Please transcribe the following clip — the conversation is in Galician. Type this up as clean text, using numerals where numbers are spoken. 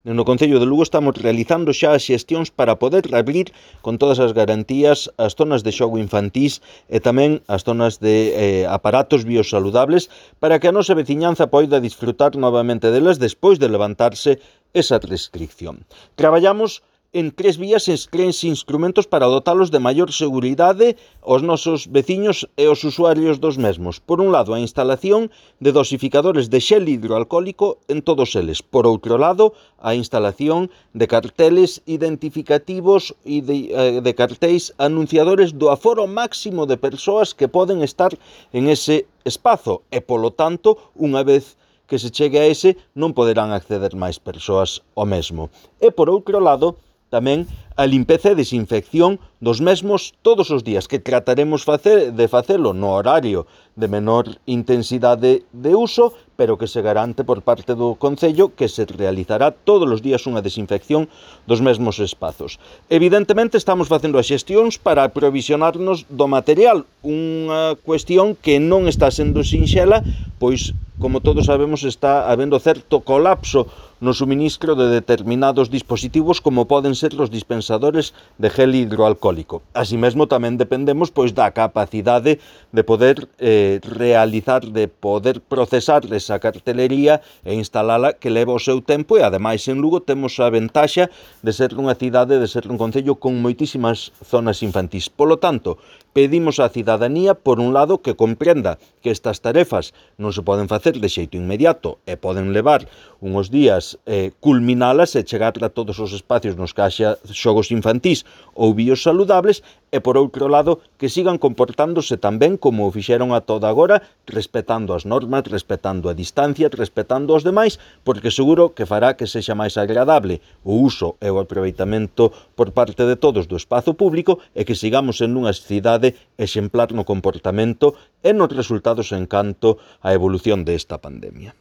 No Concello de Lugo estamos realizando xa as xestións para poder abrir con todas as garantías as zonas de xogo infantís e tamén as zonas de aparatos biosaludables para que a nosa veciñanza poida disfrutar novamente delas despois de levantarse esa restricción. Traballamos en 3 vías e 3 instrumentos para dotalos de maior seguridade aos nosos veciños e aos usuarios dos mesmos. Por un lado, a instalación de dosificadores de xel hidroalcohólico en todos eles. Por outro lado, a instalación de carteles identificativos e de cartéis anunciadores do aforo máximo de persoas que poden estar en ese espazo e, polo tanto, unha vez que se chegue a ese, non poderán acceder máis persoas ao mesmo. E, por outro lado, tamén a limpeza e desinfección dos mesmos todos os días, que trataremos de facelo no horario de menor intensidade de uso, pero que se garante por parte do Concello que se realizará todos os días unha desinfección dos mesmos espazos. Evidentemente estamos facendo as xestións para aprovisionarnos do material, unha cuestión que non está sendo sinxela, pois, como todos sabemos, está habendo certo colapso no suministro de determinados dispositivos como poden ser os dispensadores de gel hidroalcohólico. Así mesmo tamén dependemos da capacidade de poder realizar, de poder procesar esa cartelería e instalala que leva o seu tempo e ademais en Lugo temos a ventaxa de ser unha cidade, de ser un concello con moitísimas zonas infantís. Polo tanto, pedimos á cidadanía, por un lado, que comprenda que estas tarefas non se poden facer de xeito inmediato e poden levar unhos días culminalas e chegar a todos os espacios nos que haxa xogos infantís ou biosaludables e, por outro lado, que sigan comportándose tamén como o fixeron a toda agora, respetando as normas, respetando a distancia, respetando os demais, porque seguro que fará que sexa máis agradable o uso e o aproveitamento por parte de todos do espazo público e que sigamos en unha cidade exemplar no comportamento e nos resultados en canto á evolución desta pandemia.